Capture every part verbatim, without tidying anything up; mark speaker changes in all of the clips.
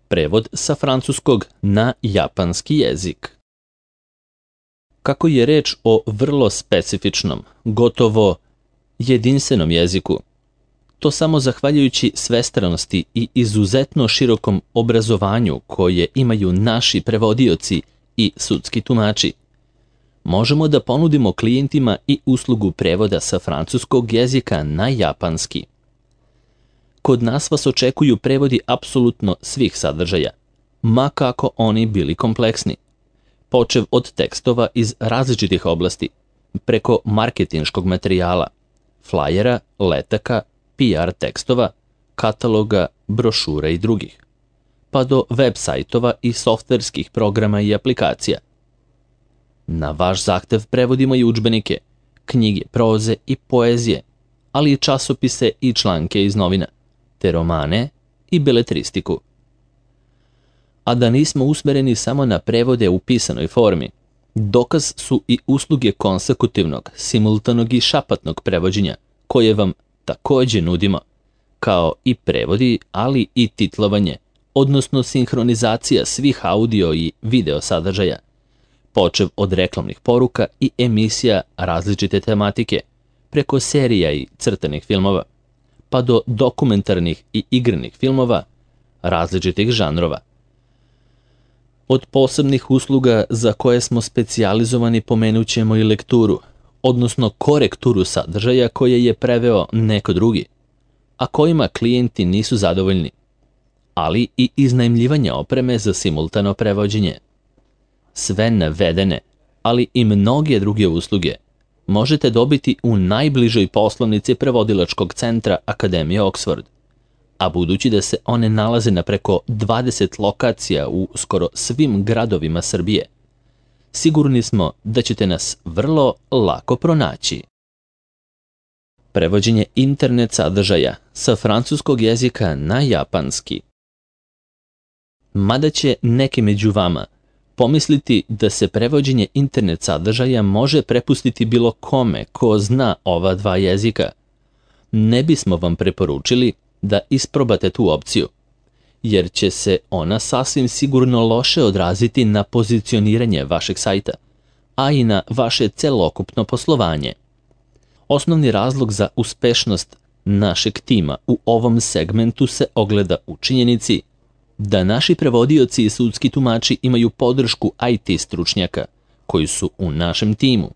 Speaker 1: Prevod sa francuskog na japanski jezik. Kako je reč o vrlo specifičnom, gotovo jedinstvenom jeziku, to samo zahvaljujući svestranosti i izuzetno širokom obrazovanju koje imaju naši prevodioci i sudski tumači, možemo da ponudimo klijentima i uslugu prevoda sa francuskog jezika na japanski. Kod nas vas očekuju prevodi apsolutno svih sadržaja, ma kako oni bili kompleksni, počev od tekstova iz različitih oblasti, preko marketinškog materijala, flajera, letaka, P R tekstova, kataloga, brošura i drugih, pa do web sajtova i softverskih programa i aplikacija. Na vaš zahtev prevodimo i udžbenike, knjige proze i poezije, ali i časopise i članke iz novina, te romane i beletristiku. A da nismo usmereni samo na prevode u pisanoj formi, dokaz su i usluge konsekutivnog, simultanog i šapatnog prevođenja, koje vam takođe nudimo, kao i prevodi, ali i titlovanje, odnosno sinhronizacija svih audio i video sadržaja, počev od reklamnih poruka i emisija različite tematike, preko serija i crtanih filmova, pa do dokumentarnih i igranih filmova različitih žanrova. Od posebnih usluga za koje smo specijalizovani pomenut ćemo i lekturu, odnosno korekturu sadržaja koje je preveo neko drugi, a kojima klijenti nisu zadovoljni, ali i iznajmljivanje opreme za simultano prevođenje. Sve navedene, ali i mnoge druge usluge možete dobiti u najbližoj poslovnici prevodilačkog centra Akademije Oxford, a budući da se one nalaze na preko dvadeset lokacija u skoro svim gradovima Srbije, sigurni smo da ćete nas vrlo lako pronaći. Prevođenje internet sadržaja sa francuskog jezika na japanski. Mada će neki među vama pomisliti da se prevođenje internet sadržaja može prepustiti bilo kome ko zna ova dva jezika, ne bismo vam preporučili da isprobate tu opciju, jer će se ona sasvim sigurno loše odraziti na pozicioniranje vašeg sajta, a i na vaše celokupno poslovanje. Osnovni razlog za uspešnost našeg tima u ovom segmentu se ogleda u činjenici da naši prevodioci i sudski tumači imaju podršku I T stručnjaka koji su u našem timu,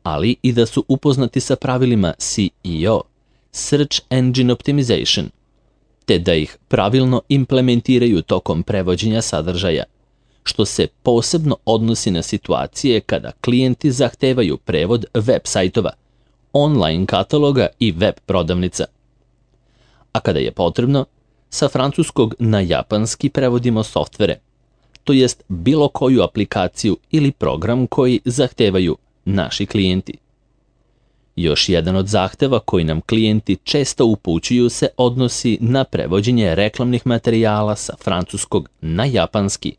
Speaker 1: ali i da su upoznati sa pravilima S E O, Search Engine Optimization, te da ih pravilno implementiraju tokom prevođenja sadržaja, što se posebno odnosi na situacije kada klijenti zahtevaju prevod web sajtova, online kataloga i web prodavnica. A kada je potrebno, sa francuskog na japanski prevodimo softvere, to jest bilo koju aplikaciju ili program koji zahtevaju naši klijenti. Još jedan od zahteva koji nam klijenti često upućuju se odnosi na prevođenje reklamnih materijala sa francuskog na japanski,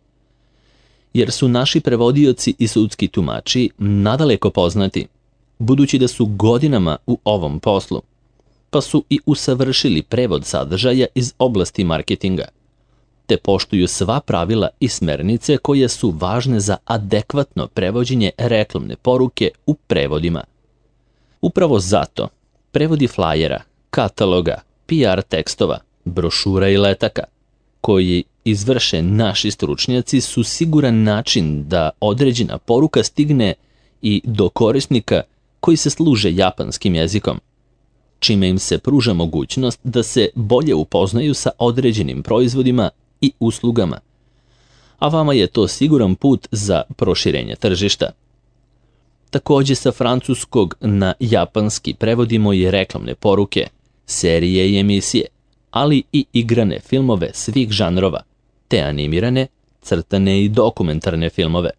Speaker 1: jer su naši prevodioci i sudski tumači nadaleko poznati, budući da su godinama u ovom poslu, pa su i usavršili prevod sadržaja iz oblasti marketinga, te poštuju sva pravila i smernice koje su važne za adekvatno prevođenje reklamne poruke u prevodima. Upravo zato prevodi flajera, kataloga, P R tekstova, brošura i letaka, koji izvrše naši stručnjaci, su siguran način da određena poruka stigne i do korisnika koji se služe japanskim jezikom, čime im se pruža mogućnost da se bolje upoznaju sa određenim proizvodima i uslugama, a vama je to siguran put za proširenje tržišta. Takođe sa francuskog na japanski prevodimo i reklamne poruke, serije i emisije, ali i igrane filmove svih žanrova, te animirane, crtane i dokumentarne filmove.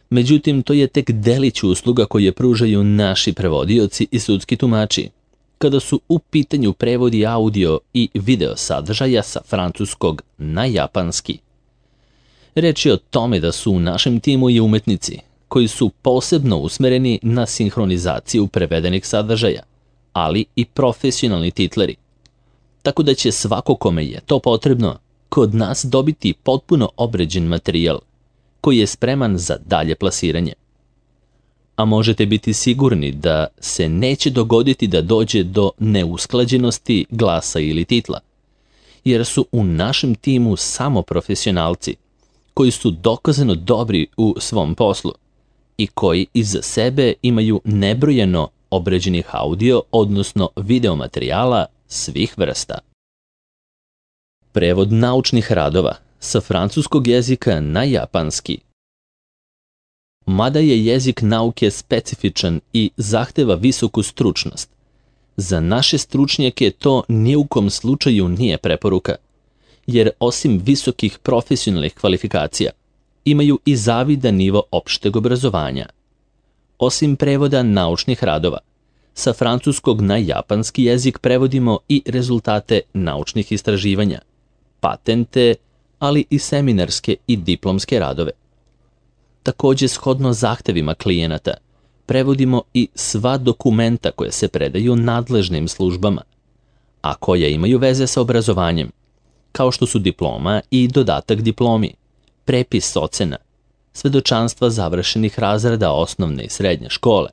Speaker 1: Međutim, to je tek delić usluga koje pružaju naši prevodioci i sudski tumači, kada su u pitanju prevodi audio i video sadržaja sa francuskog na japanski. Reč je o tome da su u našem timu i umetnici koji su posebno usmereni na sinhronizaciju prevedenih sadržaja, ali i profesionalni titleri, tako da će svako kome je to potrebno kod nas dobiti potpuno obrađen materijal koji je spreman za dalje plasiranje. A možete biti sigurni da se neće dogoditi da dođe do neusklađenosti glasa ili titla, jer su u našem timu samo profesionalci koji su dokazano dobri u svom poslu i koji iza sebe imaju nebrojeno obrađenih audio, odnosno video materijala svih vrsta. Prevod naučnih radova sa francuskog jezika na japanski. Mada je jezik nauke specifičan i zahteva visoku stručnost, za naše stručnjake to ni u kom slučaju nije preporuka, jer osim visokih profesionalnih kvalifikacija, imaju i zavidan nivo opšteg obrazovanja. Osim prevoda naučnih radova, sa francuskog na japanski jezik prevodimo i rezultate naučnih istraživanja, patente, ali i seminarske i diplomske radove. Također, shodno zahtevima klijenata, prevodimo i sva dokumenta koje se predaju nadležnim službama, a koja imaju veze sa obrazovanjem, kao što su diploma i dodatak diplomi, prepis ocena, svedočanstva završenih razreda osnovne i srednje škole,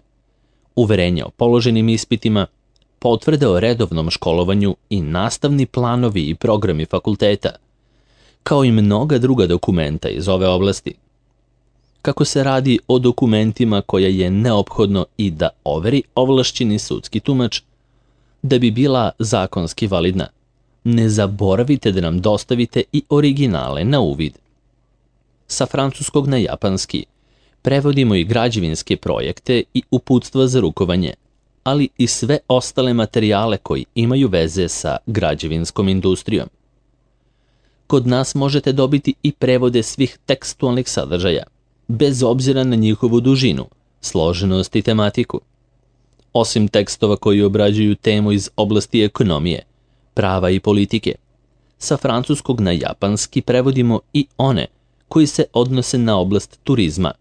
Speaker 1: uverenje o položenim ispitima, potvrde o redovnom školovanju i nastavni planovi i programi fakulteta, kao i mnoga druga dokumenta iz ove oblasti. Kako se radi o dokumentima koje je neophodno i da overi ovlašćeni sudski tumač, da bi bila zakonski validna, ne zaboravite da nam dostavite i originale na uvid. Sa francuskog na japanski prevodimo i građevinske projekte i uputstva za rukovanje, ali i sve ostale materijale koji imaju veze sa građevinskom industrijom. Kod nas možete dobiti i prevode svih tekstualnih sadržaja, bez obzira na njihovu dužinu, složenost i tematiku. Osim tekstova koji obrađuju temu iz oblasti ekonomije, prava i politike, sa francuskog na japanski prevodimo i one koji se odnose na oblast turizma,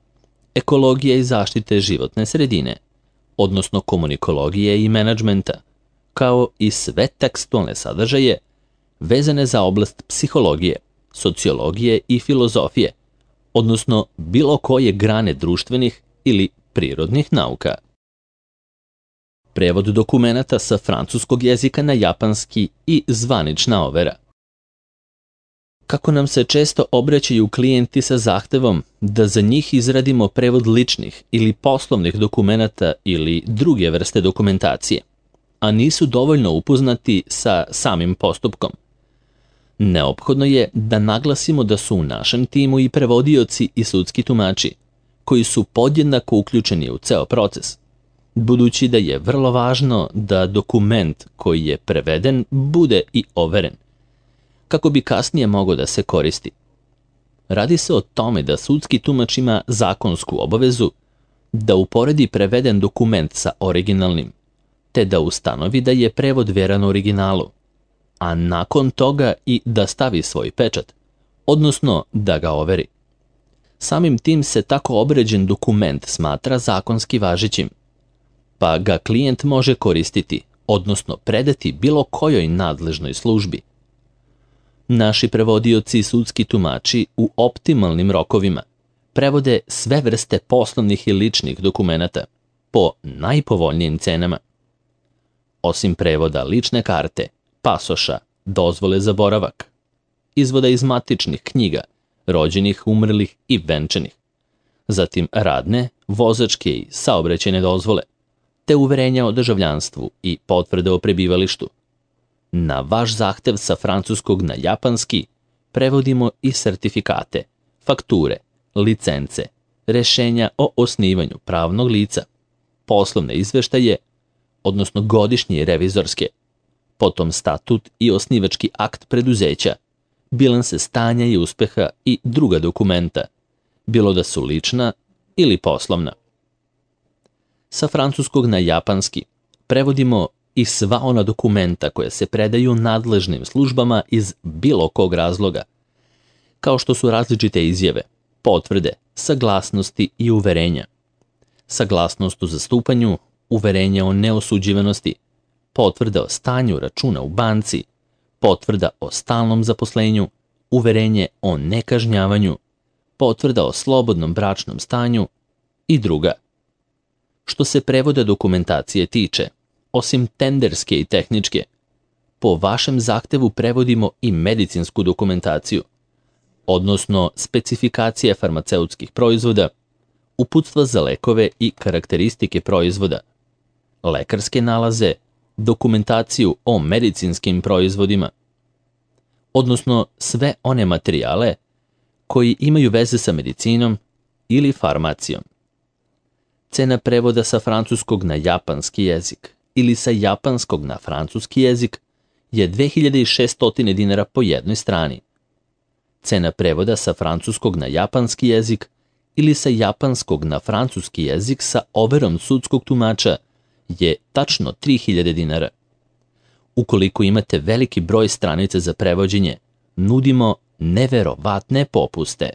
Speaker 1: ekologije i zaštite životne sredine, odnosno komunikologije i menadžmenta, kao i sve tekstualne sadržaje vezane za oblast psihologije, sociologije i filozofije, odnosno bilo koje grane društvenih ili prirodnih nauka. Prevod dokumenata sa francuskog jezika na japanski i zvanična overa. Kako nam se često obraćaju klijenti sa zahtevom da za njih izradimo prevod ličnih ili poslovnih dokumenata ili druge vrste dokumentacije, a nisu dovoljno upoznati sa samim postupkom, neophodno je da naglasimo da su u našem timu i prevodioci i sudski tumači, koji su podjednako uključeni u ceo proces, budući da je vrlo važno da dokument koji je preveden bude i overen, kako bi kasnije mogao da se koristi. Radi se o tome da sudski tumač ima zakonsku obavezu da uporedi preveden dokument sa originalnim, te da ustanovi da je prevod veran originalu, a nakon toga i da stavi svoj pečat, odnosno da ga overi. Samim tim se tako obrađen dokument smatra zakonski važećim, pa ga klijent može koristiti, odnosno predati bilo kojoj nadležnoj službi. Naši prevodioci i sudski tumači u optimalnim rokovima prevode sve vrste poslovnih i ličnih dokumenata po najpovoljnijim cenama. Osim prevoda lične karte, pasoša, dozvole za boravak, izvoda iz matičnih knjiga, rođenih, umrlih i venčanih, zatim radne, vozačke i saobraćajne dozvole, te uverenja o državljanstvu i potvrde o prebivalištu. Na vaš zahtev sa francuskog na japanski prevodimo i sertifikate, fakture, licence, rešenja o osnivanju pravnog lica, poslovne izveštaje, odnosno godišnje revizorske, potom statut i osnivački akt preduzeća, bilanse stanja i uspeha i druga dokumenta, bilo da su lična ili poslovna. Sa francuskog na japanski prevodimo i sva ona dokumenta koje se predaju nadležnim službama iz bilo kog razloga, kao što su različite izjave, potvrde, saglasnosti i uverenja. Saglasnost o zastupanju, uverenje o neosuđivanosti, potvrda o stanju računa u banci, potvrda o stalnom zaposlenju, uverenje o nekažnjavanju, potvrda o slobodnom bračnom stanju i druga. Što se prevoda dokumentacije tiče, osim tenderske i tehničke, po vašem zahtevu prevodimo i medicinsku dokumentaciju, odnosno specifikacije farmaceutskih proizvoda, uputstva za lekove i karakteristike proizvoda, lekarske nalaze, dokumentaciju o medicinskim proizvodima, odnosno sve one materijale koji imaju veze sa medicinom ili farmacijom. Cena prevoda sa francuskog na japanski jezik ili sa japanskog na francuski jezik je dve hiljade šesto dinara po jednoj strani. Cena prevoda sa francuskog na japanski jezik ili sa japanskog na francuski jezik sa overom sudskog tumača je tačno tri hiljade dinara. Ukoliko imate veliki broj stranica za prevođenje, nudimo neverovatne popuste.